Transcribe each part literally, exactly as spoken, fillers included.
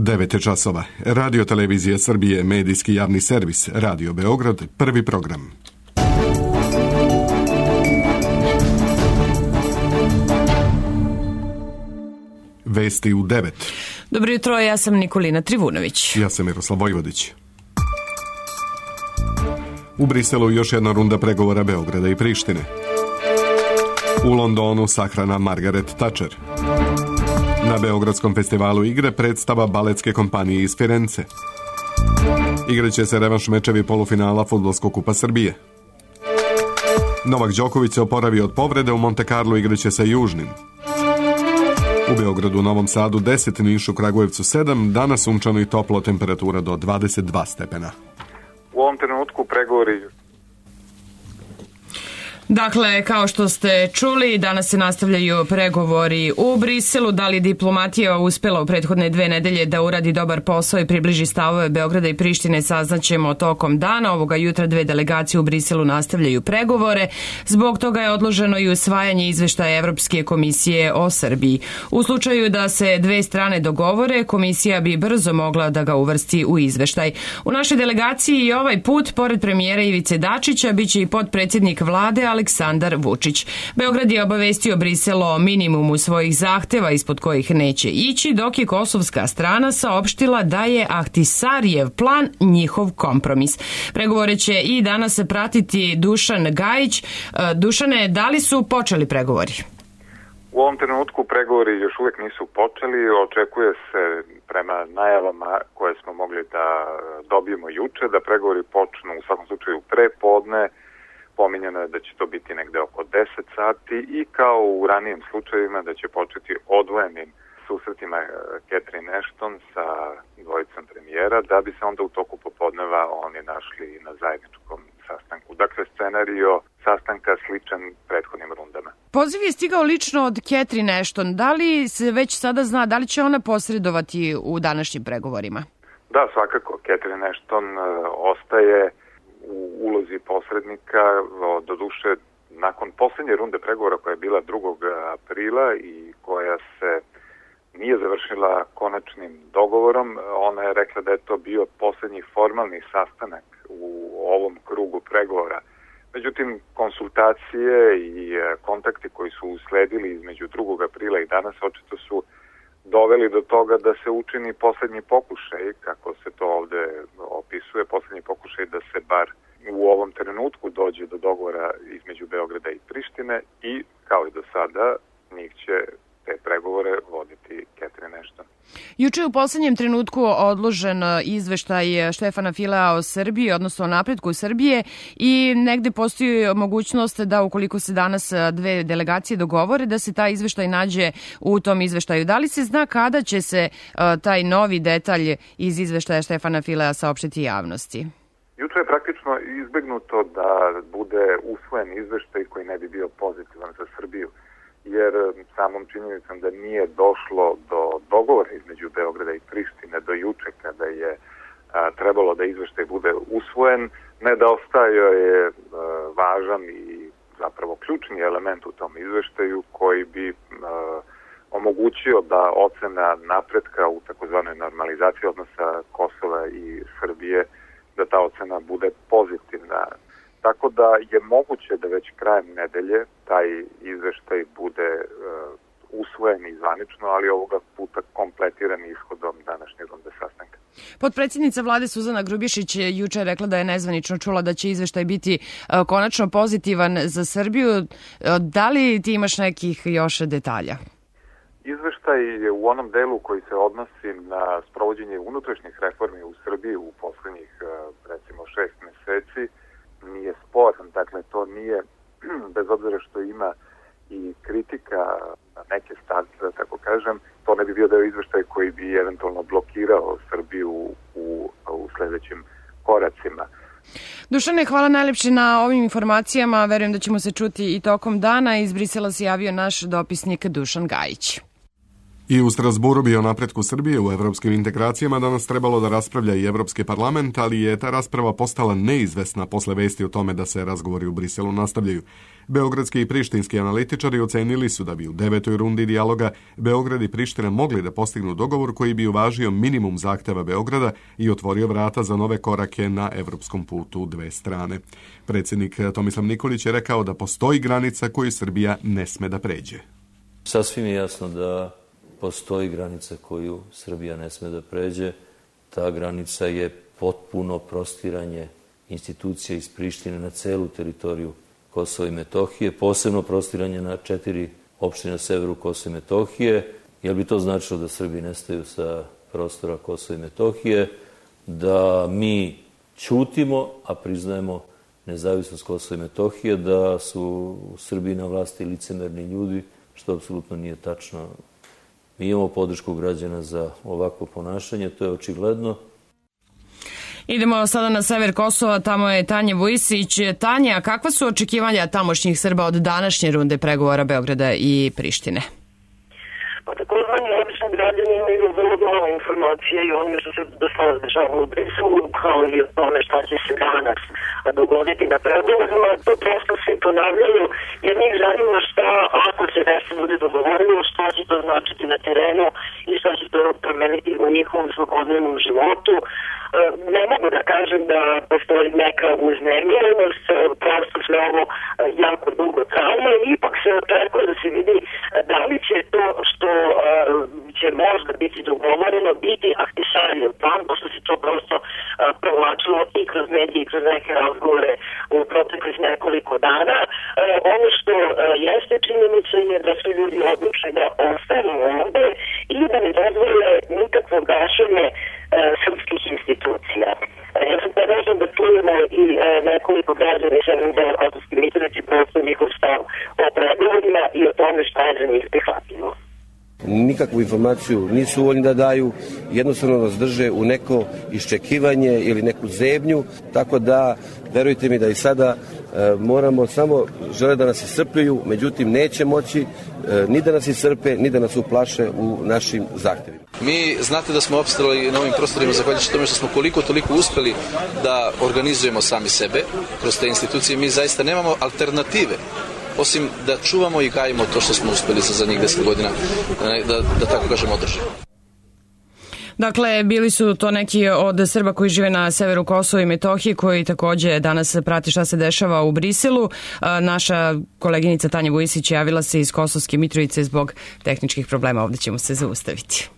devet je časova. Radio Televizija Srbije, medijski javni servis, Radio Beograd, prvi program. Vesti u devet. Dobro jutro, ja sam Nikolina Trivunović. Ja sam Miroslav Vojvodić. U Briselu još jedna runda pregovora Beograda i Prištine. U Londonu sahrana Margaret Thatcher. Na Beogradskom festivalu igre predstava baletske kompanije iz Firence. Igraće se revanš mečevi polufinala Fudbalskog kupa Srbije. Novak Đoković se oporavio od povrede, u Monte Carlo igraće sa Južnim. U Beogradu, Novom Sadu deset, Nišu, Kragujevcu sedam, danas sunčano i toplo, temperatura do dvadeset dva stepena. U ovom trenutku pregovori... Dakle, kao što ste čuli, danas se nastavljaju pregovori u Briselu. Da li diplomatija uspela u prethodne dve nedelje da uradi dobar posao i približi stavove Beograda i Prištine, saznaćemo tokom dana. Ovoga jutra dve delegacije u Briselu nastavljaju pregovore. Zbog toga je odloženo i usvajanje izveštaja Evropske komisije o Srbiji. U slučaju da se dve strane dogovore, komisija bi brzo mogla da ga uvrsti u izveštaj. U našoj delegaciji i ovaj put, pored premijera Ivice Dačića, biće i potpredsjednik vlade, ali Aleksandar Vučić. Beograd je obavestio Brisel o minimumu svojih zahteva ispod kojih neće ići, dok je kosovska strana saopštila da je Ahtisarijev plan njihov kompromis. Pregovore će i danas pratiti Dušan Gajić. Dušane, da li su počeli pregovori? U ovom trenutku pregovori još uvijek nisu počeli. Očekuje se prema najavama koje smo mogli da dobijemo juče da pregovori počnu u svakom slučaju pre podne. Pominjeno je da će to biti negde oko deset sati i kao u ranijim slučajevima da će početi odvojenim susretima Catherine Ashton sa dvojicom premijera, da bi se onda u toku popodneva oni našli na zajedničkom sastanku. Dakle, scenario sastanka sličan prethodnim rundama. Poziv je stigao lično od Catherine Ashton. Da li se već sada zna, da li će ona posredovati u današnjim pregovorima? Da, svakako. Catherine Ashton uh, ostaje u ulozi posrednika, doduše nakon posljednje runde pregovora koja je bila drugog aprila i koja se nije završila konačnim dogovorom, ona je rekla da je to bio posljednji formalni sastanak u ovom krugu pregovora. Međutim, konsultacije i kontakti koji su usledili između drugog aprila i danas očito su doveli do toga da se učini posljednji pokušaj, kako se to ovde opisuje, posljednji pokušaj da se bar u ovom trenutku dođe do dogovora između Beograda i Prištine i, kao i do sada, njih će te pregovore voditi Catherine Ashton. Juče je u poslednjem trenutku odložen izveštaj Štefana Filea o Srbiji, odnosno o napretku Srbije, i negde postoji mogućnost da ukoliko se danas dve delegacije dogovore, da se taj izveštaj nađe u tom izveštaju. Da li se zna kada će se taj novi detalj iz izveštaja Štefana Filea saopštiti javnosti? Juče je praktično izbegnuto da bude usvojen izveštaj koji ne bi bio pozitivan za Srbiju, jer samom činjenicom da nije došlo do dogovora između Beograda i Prištine do juče kada je a, trebalo da izveštaj bude usvojen, nedostaje je a, važan i zapravo ključni element u tom izveštaju koji bi a, omogućio da ocena napretka u takozvanoj normalizaciji odnosa Kosova i Srbije, da ta ocena bude pozitivna. Tako da je moguće da već krajem nedelje taj izveštaj bude uh, usvojen i zvanično, ali ovoga puta kompletiran ishodom današnje runde sastanka. Potpredsjednica vlade Suzana Grubješić je juče rekla da je nezvanično čula da će izveštaj biti uh, konačno pozitivan za Srbiju. Uh, da li ti imaš nekih još detalja? Izveštaj je u onom delu koji se odnosi na sprovođenje unutrašnjih reformi u Srbiji u poslednjih recimo šest meseci nije sporan. Dakle, to nije, bez obzira što ima i kritika na neke stavke, da tako kažem, to ne bi bio deo izveštaj koji bi eventualno blokirao Srbiju u, u sledećim koracima. Dušane, hvala najlepše na ovim informacijama. Verujem da ćemo se čuti i tokom dana. Iz Brisela se javio naš dopisnik Dušan Gajić. I u Strasburu bi o napretku Srbije u evropskim integracijama danas trebalo da raspravlja i Evropski parlament, ali je ta rasprava postala neizvesna posle vesti o tome da se razgovori u Briselu nastavljaju. Beogradski i prištinski analitičari ocenili su da bi u devetoj rundi dijaloga Beograd i Priština mogli da postignu dogovor koji bi uvažio minimum zahteva Beograda i otvorio vrata za nove korake na evropskom putu dve strane. Predsjednik Tomislav Nikolić je rekao da postoji granica koju Srbija ne sme da pređe. Sasvim je jasno da postoji granica koju Srbija ne sme da pređe. Ta granica je potpuno prostiranje institucija iz Prištine na celu teritoriju Kosova i Metohije, posebno prostiranje na četiri opštine na severu Kosova i Metohije, jer bi to značilo da Srbi nestaju sa prostora Kosova i Metohije, da mi ćutimo, a priznajemo nezavisnost Kosova i Metohije, da su u Srbiji na vlasti licemerni ljudi, što apsolutno nije tačno. Mi imamo podršku građana za ovakvo ponašanje, to je očigledno. Idemo sada na sever Kosova, tamo je Tanja Vujisić. Tanja, kakva su očekivanja tamošnjih Srba od današnje runde pregovora Beograda i Prištine? Pa takozvani obični građani imaju vrlo malo informacija i ono što se do sada dešava u Briselu, kao i o tome šta će se danas dogoditi na pregovorima. To prosto se ponavljaju, jer njih zanima šta, ako se nešto bude dogovorilo, šta će to značiti na terenu i šta će to promeniti u njihovom svakodnevnom životu. Ne mogu da kažem da postoji neka uznemirenost, prosto sve ovo jako dugo traje, ipak se očekuje da se vidi da li će to što će možda biti dogovoreno biti aktišarijev plan, pošto se to prosto provlačilo i kroz medije i kroz neke razgovore u proteklih nekoliko dana. Ono što jeste činjenica je da su ljudi odlučili da ostanu ovde i da ne dozvole nikakvo gašenje srpskih institucija. Ja sam predlažem da čujemo i nekoliko građana iz jednog dela Kosovske Mitrovice, prosto njihov stav o pregovorima i o tome šta je za njih prihvatljivo. Nikakvu informaciju nisu voljni da daju, jednostavno nas drže u neko iščekivanje ili neku zebnju, tako da verujte mi da i sada e, moramo samo, žele da nas iscrpljuju, međutim neće moći e, ni da nas iscrpe, ni da nas uplaše u našim zahtjevima. Mi znate da smo opstali na ovim prostorima zahvaljujući tome što smo koliko toliko uspeli da organizujemo sami sebe kroz te institucije. Mi zaista nemamo alternative osim da čuvamo i gajimo to što smo uspeli za zadnjih deset godina, da, da tako kažemo, održimo. Dakle, bili su to neki od Srba koji žive na severu Kosova i Metohije, koji takođe danas prati šta se dešava u Briselu. Naša koleginica Tanja Vujisić javila se iz Kosovske Mitrovice zbog tehničkih problema. Ovdje ćemo se zaustaviti.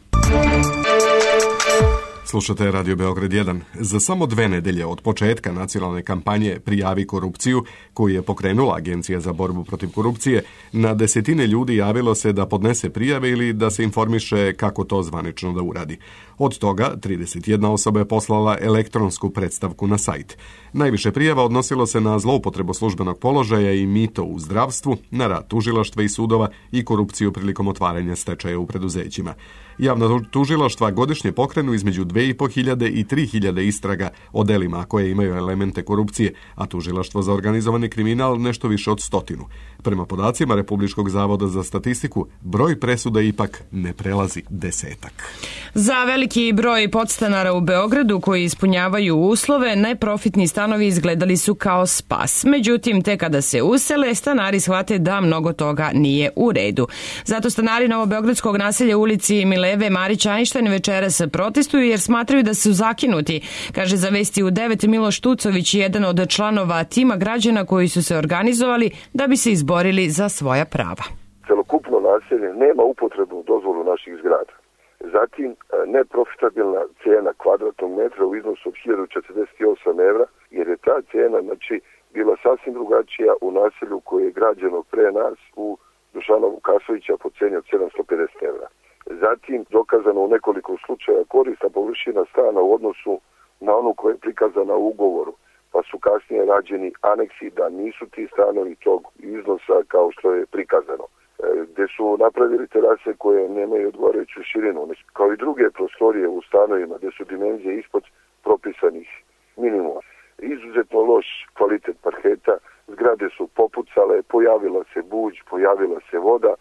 Slušate Radio Beograd jedan. Za samo dve nedelje od početka nacionalne kampanje Prijavi korupciju, koju je pokrenula Agencija za borbu protiv korupcije, na desetine ljudi javilo se da podnese prijave ili da se informiše kako to zvanično da uradi. Od toga, trideset jedna osoba je poslala elektronsku predstavku na sajt. Najviše prijava odnosilo se na zloupotrebu službenog položaja i mito u zdravstvu, na rad tužilaštva i sudova i korupciju prilikom otvaranja stečaja u preduzećima. Javna tužilaštva godišnje pokrenu između dve i po hiljade i tri hiljade istraga o delima koje imaju elemente korupcije, a tužilaštvo za organizovani kriminal nešto više od stotinu. Prema podacima Republičkog zavoda za statistiku, broj presuda ipak ne prelazi desetak. Za veliki broj podstanara u Beogradu koji ispunjavaju uslove, neprofitni stanovi izgledali su kao spas. Međutim, te kada se usele, stanari shvate da mnogo toga nije u redu. Zato stanari novobeogradskog naselja u ulici Mileve Marić Einstein večeras protestuju jer smatraju da su zakinuti, kaže za Vesti u devet Miloš Tucović, jedan od članova tima građana koji su se organizovali da bi se izborili za svoja prava. Celokupno naselje nema upotrebnu dozvolu naših zgrada. Zatim, neprofitabilna cijena kvadratnog metra u iznosu od hiljadu četrdeset osam evra, jer je ta cijena znači, bila sasvim drugačija u naselju koje je građeno pre nas u Dušanovu Kasovića po cijeni od sedamsto pedeset evra. Zatim, dokazano u nekoliko slučaja korisna površina stana u odnosu na onu koja je prikazana u ugovoru, pa su kasnije rađeni aneksi da nisu ti stanovi tog iznosa kao što je prikazano, gde su napravili terase koje nemaju odgovarajuću širinu, kao i druge prostorije u stanovima gde su dimenzije ispod propisanih minimuma. Izuzetno loš kvalitet parketa, zgrade su popucale, pojavila se buđ, pojavila se voda.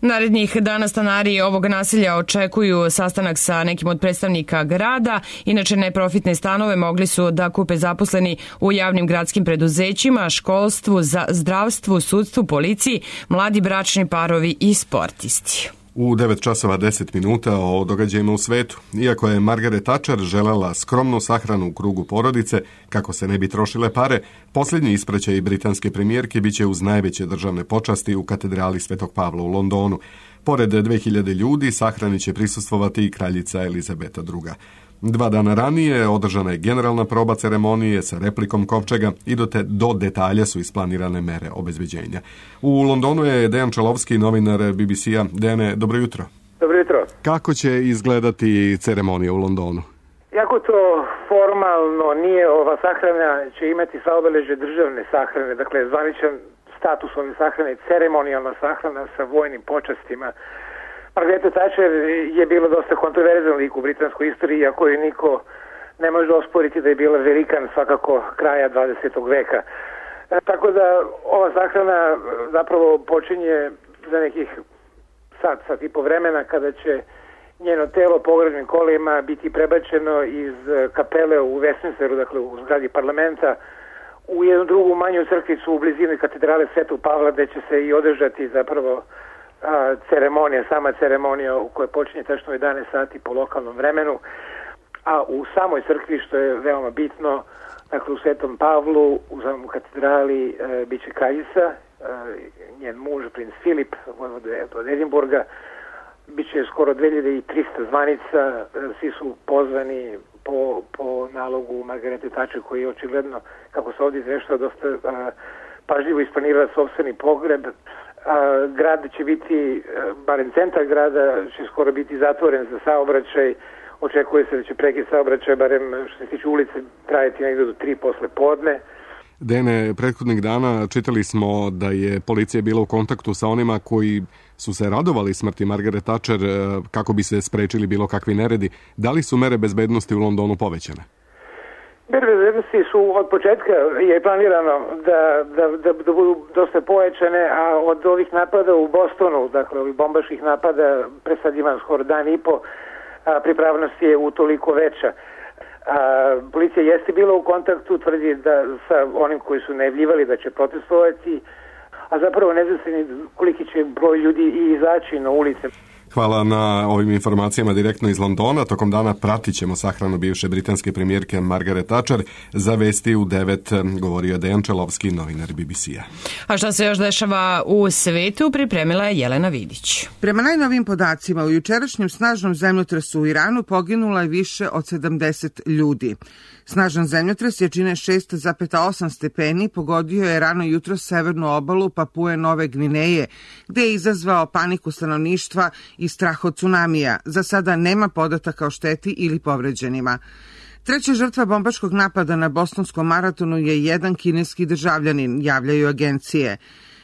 Narednih dana stanari ovog naselja očekuju sastanak sa nekim od predstavnika grada. Inače, neprofitne stanove mogli su da kupe zaposleni u javnim gradskim preduzećima, školstvu, zdravstvu, sudstvu, policiji, mladi bračni parovi i sportisti. U devet časova deset minuta o događajima u svetu. Iako je Margaret Thatcher želela skromnu sahranu u krugu porodice, kako se ne bi trošile pare, posljednji ispraćaj britanske premijerke biće uz najveće državne počasti u katedrali Svetog Pavla u Londonu. Pored dve hiljade ljudi sahrani će prisustvovati i kraljica Elizabeta druga. Dva dana ranije održana je generalna proba ceremonije sa replikom kovčega i do, te, do detalja su isplanirane mere obezbeđenja. U Londonu je Dejan Čelovski, novinar B B C-a. Dejane, dobro jutro. Dobro jutro. Kako će izgledati ceremonija u Londonu? Jako to formalno nije, ova sahrana će imati sva obeležje državne sahrane, dakle zvaničan status ove sahrane, ceremonijalna sahrana sa vojnim počastima. Margaret Thatcher je bilo dosta kontroverzan lik u britanskoj istoriji, iako je niko ne može osporiti da je bila velikan svakako kraja dvadesetog veka. E, tako da ova sahrana zapravo počinje za nekih sat, sat i po vremena, kada će njeno telo pogrebnim kolima biti prebačeno iz kapele u Westminsteru, dakle u zgradi parlamenta, u jednu drugu manju crkvicu u blizini katedrale Svetog Pavla, gde će se i održati zapravo a, ceremonija, sama ceremonija u kojoj počinje tačno jedanaest sati po lokalnom vremenu, a u samoj crkvi, što je veoma bitno, dakle u Svetom Pavlu, u samom katedrali e, bit će kraljica, e, njen muž, princ Filip, od Edinburga, bit će skoro dve hiljade trista zvanica, e, svi su pozvani po, po nalogu Margarete Thatcher, koji je očigledno, kako se ovdje izveštava, dosta a, pažljivo isplanirala sopstveni pogreb. A, grad će biti, a, barem centar grada, će skoro biti zatvoren za saobraćaj. Očekuje se da će prekid saobraćaja, barem što se tiče ulice, trajati negdje do tri posle podne. Dene, prethodnih dana čitali smo da je policija bila u kontaktu sa onima koji su se radovali smrti Margaret Thatcher kako bi se sprečili bilo kakvi neredi. Da li su mere bezbednosti u Londonu povećane? Mere bezbednosti su od početka je planirano da, da, da, da budu dosta povećane, a od ovih napada u Bostonu, dakle ovih bombaških napada, pre sad imam skoro dan i po, a pripravnost je utoliko veća. A, policija jeste bila u kontaktu, tvrdi da sa onim koji su najavljivali da će protestovati, a zapravo ne zna se ni koliki će broj ljudi i izaći na ulice. Hvala na ovim informacijama direktno iz Londona. Tokom dana pratit ćemo sahranu bivše britanske premijerke Margaret Thatcher. Za vesti u devet govorio Dejan Čelovski, novinar B B C-a. A šta se još dešava u svetu, pripremila je Jelena Vidić. Prema najnovim podacima, u jučerašnjem snažnom zemljotresu u Iranu poginulo je više od sedamdeset ljudi. Snažan zemljotres jačine šest zarez osam stepeni pogodio je rano jutro severnu obalu Papue Nove Gvineje, gde je izazvao paniku stanovništva i strah od tsunamija. Za sada nema podataka o šteti ili povređenima. Treća žrtva bombaškog napada na bostonskom maratonu je jedan kineski državljanin, javljaju agencije.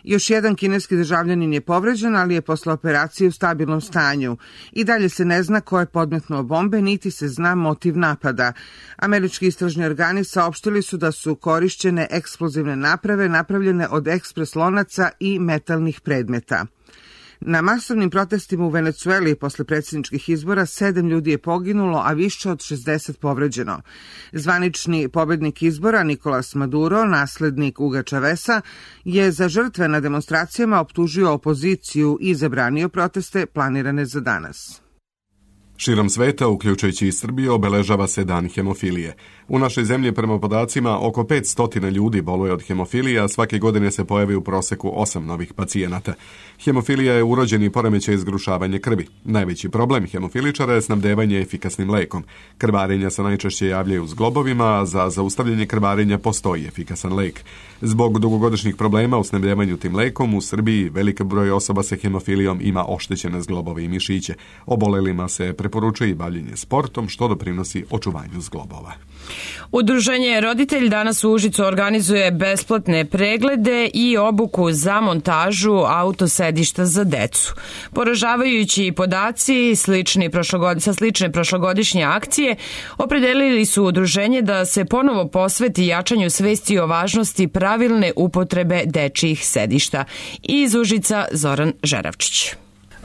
Još jedan kineski državljanin je povređen, ali je posle operacije u stabilnom stanju. I dalje se ne zna ko je podmetnuo bombe, niti se zna motiv napada. Američki istražni organi saopštili su da su korišćene eksplozivne naprave napravljene od ekspres lonaca i metalnih predmeta. Na masovnim protestima u Venecueli posle predsjedničkih izbora sedam ljudi je poginulo, a više od šezdeset povređeno. Zvanični pobednik izbora Nicolas Maduro, naslednik Huga Chaveza, je za žrtve na demonstracijama optužio opoziciju i zabranio proteste planirane za danas. Širom sveta, uključujući i Srbiju, obeležava se dan hemofilije. U našoj zemlji, prema podacima, oko petsto ljudi boluje od hemofilije, a svake godine se pojavi u proseku osam novih pacijenata. Hemofilija je urođeni poremećaj zgrušavanja krvi. Najveći problem hemofiličara je snabdevanje efikasnim lekom. Krvarenja se najčešće javljaju zglobovima, a za zaustavljanje krvarenja postoji efikasan lek. Zbog dugogodišnjih problema u snabdevanju tim lekom, u Srbiji veliki broj osoba sa hemofilijom ima oštećene zglobove i mišiće. Obolelima se preporučuje i bavljenje sportom, što doprinosi očuvanju zglobova. Udruženje Roditelj danas u Užicu organizuje besplatne preglede i obuku za montažu autosedišta za decu. Poražavajući podaci slični prošlogod... sa slične prošlogodišnje akcije opredelili su udruženje da se ponovo posveti jačanju svesti o važnosti pravilne upotrebe dečijih sedišta. Iz Užica Zoran Žeravčić.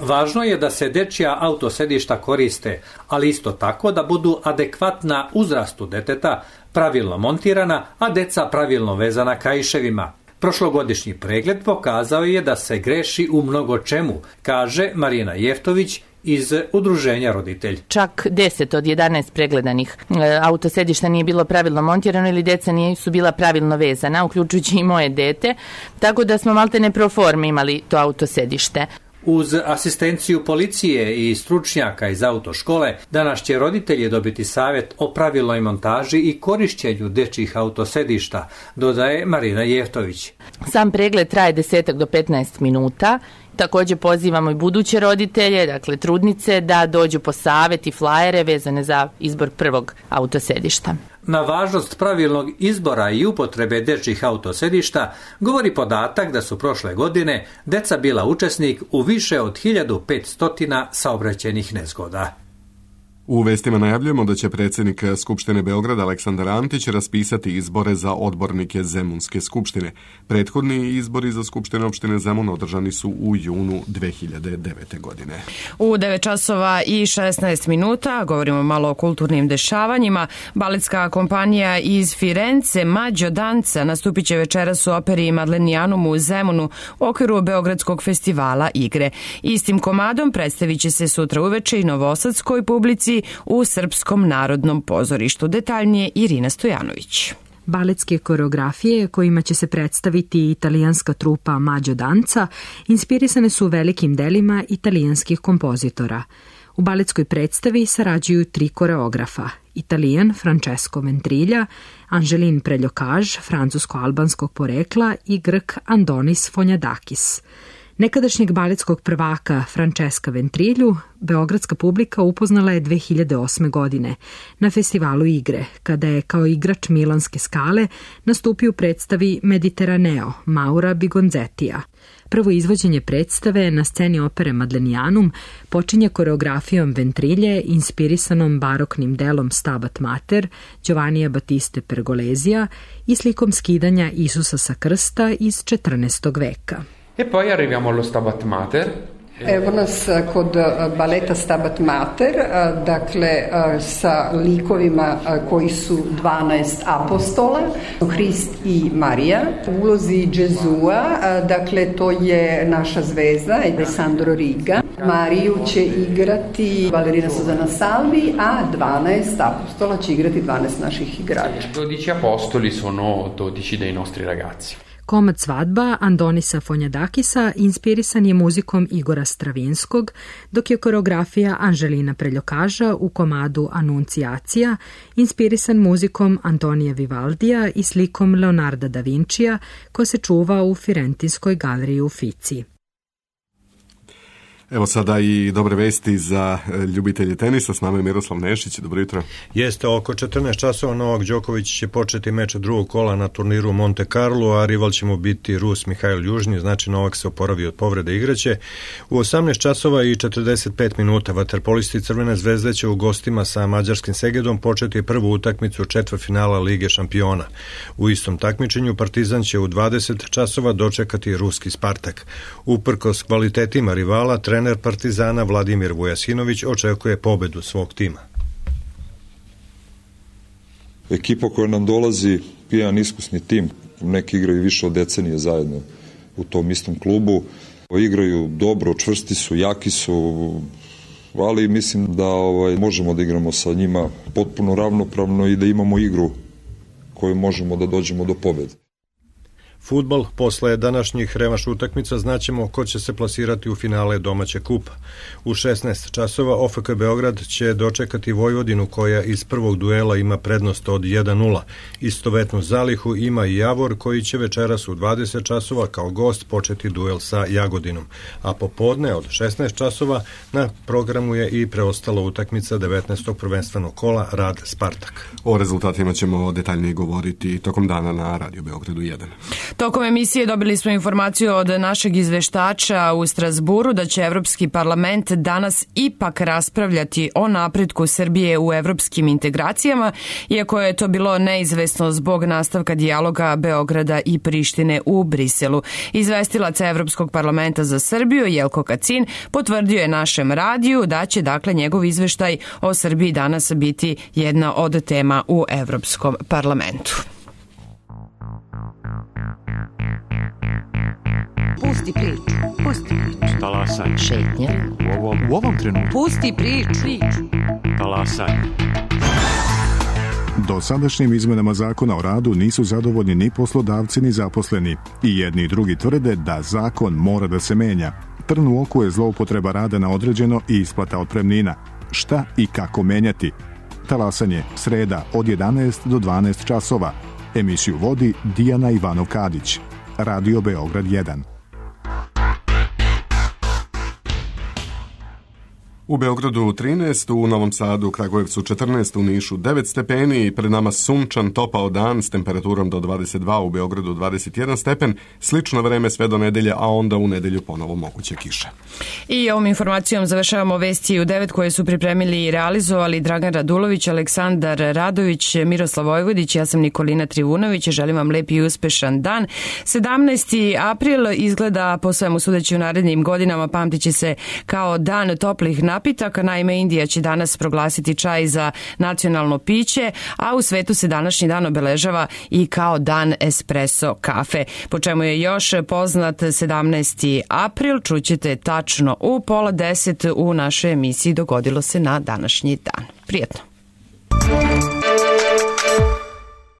Važno je da se dečija autosedišta koriste, ali isto tako da budu adekvatna uzrastu deteta, pravilno montirana, a deca pravilno vezana kaiševima. Prošlogodišnji pregled pokazao je da se greši u mnogo čemu, kaže Marina Jeftović iz Udruženja Roditelj. Čak deset od jedanaest pregledanih autosedišta nije bilo pravilno montirano ili deca nisu bila pravilno vezana, uključujući i moje dete, tako da smo maltene pro forme imali to autosedište. Uz asistenciju policije i stručnjaka iz autoškole, danas će roditelji dobiti savjet o pravilnoj montaži i korišćenju dečjih autosedišta, dodaje Marina Jeftović. Sam pregled traje deset do petnaest minuta. Također pozivamo i buduće roditelje, dakle trudnice, da dođu po savjet i flajere vezane za izbor prvog autosedišta. Na važnost pravilnog izbora i upotrebe dečjih autosedišta govori podatak da su prošle godine deca bila učesnik u više od hiljadu petsto saobraćajnih nezgoda. U vestima najavljujemo da će predsjednik Skupštine Beograda Aleksandar Antić raspisati izbore za odbornike Zemunske skupštine. Prethodni izbori za Skupštinu opštine Zemun održani su u junu dve hiljade devete. godine. U devet časova i šesnaest minuta govorimo malo o kulturnim dešavanjima. Baletska kompanija iz Firence Mađo Danca nastupit će večeras u operi Madlenijanum u Zemunu u okviru Beogradskog festivala igre. Istim komadom predstavit će se sutra uveče i novosadskoj publici u Srpskom narodnom pozorištu. Detaljnije Irina Stojanović. Baletske koreografije kojima će se predstaviti italijanska trupa Mađo Danca inspirisane su velikim delima italijanskih kompozitora. U baletskoj predstavi sarađuju tri koreografa: Italijan Francesco Ventrilja, Anželin Preljokaž, francusko-albanskog porekla i Grk Andonis Fonjadakis. Nekadašnjeg baletskog prvaka Francesca Ventrilju beogradska publika upoznala je dve hiljade osme. godine na festivalu igre, kada je kao igrač Milanske skale nastupio u predstavi Mediteraneo Maura Bigonzetija. Prvo izvođenje predstave na sceni opere Madlenijanum počinje koreografijom Ventrilje inspirisanom baroknim delom Stabat Mater Giovannija Battiste Pergolesija i slikom skidanja Isusa sa krsta iz četrnaestog. veka. E poi arriviamo allo Stabat Mater. Evo nas kod baleta Stabat Mater, dakle sa likovima koji su dvanaest apostola, Hrist i Marija. U ulozi Gesua, dakle to je naša zvezda, Alessandro Riga. Mariju će igrati balerina Suzana Salvi, a dvanaest apostola će igrati dvanaest naših igrača. dodici apostoli sono dodici dei nostri ragazzi. Komad Svadba Andonisa Fonjadakisa inspirisan je muzikom Igora Stravinskog, dok je koreografija Anželina Preljokaža u komadu Anuncijacija inspirisan muzikom Antonija Vivaldija i slikom Leonarda da Vincija, ko se čuva u Firentinskoj galeriji u Fici. Evo sada i dobre vesti za ljubitelje tenisa. S nama je Miroslav Nešić. Dobro jutro. Jeste, oko četrnaest časova Novak Đoković će početi meč drugog kola na turniru Monte Carlo, a rival će mu biti Rus Mihajl Južni, znači Novak se oporavi od povrede igraće. U osamnaest časova i četrdeset pet minuta vaterpolisti Crvene zvezde će u gostima sa mađarskim Segedom početi prvu utakmicu četvrtfinala Lige šampiona. U istom takmičenju Partizan će u dvadeset časova dočekati ruski Spartak. Uprkos kvalitetima rivala, trener Partizana Vladimir Vujasinović očekuje pobedu svog tima. Ekipa koja nam dolazi, jedan iskusni tim, neki igraju više od decenije zajedno u tom istom klubu, igraju dobro, čvrsti su, jaki su, ali mislim da ovaj, možemo da igramo sa njima potpuno ravnopravno i da imamo igru koju možemo da dođemo do pobede. Fudbal, posle današnjih revanš utakmica znaćemo ko će se plasirati u finale domaće kupa. U šesnaest časova O F K Beograd će dočekati Vojvodinu koja iz prvog duela ima prednost od jedan nula. Istovetnu zalihu ima i Javor koji će večeras u dvadeset časova kao gost početi duel sa Jagodinom. A popodne od šesnaest časova na programu je i preostala utakmica devetnaestog prvenstvenog kola Rad Spartak. O rezultatima ćemo detaljnije govoriti tokom dana na Radio Beogradu jedan. Tokom emisije dobili smo informaciju od našeg izveštača u Strasburu da će Evropski parlament danas ipak raspravljati o napretku Srbije u evropskim integracijama, iako je to bilo neizvesno zbog nastavka dijaloga Beograda i Prištine u Briselu. Izvestilac Evropskog parlamenta za Srbiju Jelko Kacin potvrdio je našem radiju da će dakle njegov izveštaj o Srbiji danas biti jedna od tema u Evropskom parlamentu. Pusti priču, pusti priču. Talasanje. Šetnja. U ovom, u ovom trenutku. Pusti priču. Talasanje. Dosadašnjim izmenama zakona o radu nisu zadovoljni ni poslodavci ni zaposleni. I jedni i drugi tvrde da zakon mora da se menja. Trn u oku je zloupotreba rada na određeno i isplata otpremnina. Šta i kako menjati? Talasanje, sreda od jedanaest do dvanaest časova. Emisiju vodi Dijana Ivanov-Kadić. Radio Beograd jedan. U Beogradu trinaest, u Novom Sadu, u Kragujevcu četrnaest, u Nišu devet stepeni i pred nama sunčan topao dan s temperaturom do dvadeset dva, u Beogradu dvadeset jedan stepen, slično vreme sve do nedelje, a onda u nedelju ponovo moguće kiše. I ovom informacijom završavamo vesti u devet koje su pripremili i realizovali Dragan Radulović, Aleksandar Radović, Miroslav Vojvodić, ja sam Nikolina Trivunović, želim vam lep i uspešan dan. sedamnaesti april izgleda po svemu sudeći u narednim godinama pamtit će se kao dan toplih napitaka. Naime, Indija će danas proglasiti čaj za nacionalno piće, a u svetu se današnji dan obeležava i kao dan espresso kafe. Po čemu je još poznat sedamnaesti april, čućete tačno u pola deset u našoj emisiji Dogodilo se na današnji dan. Prijetno!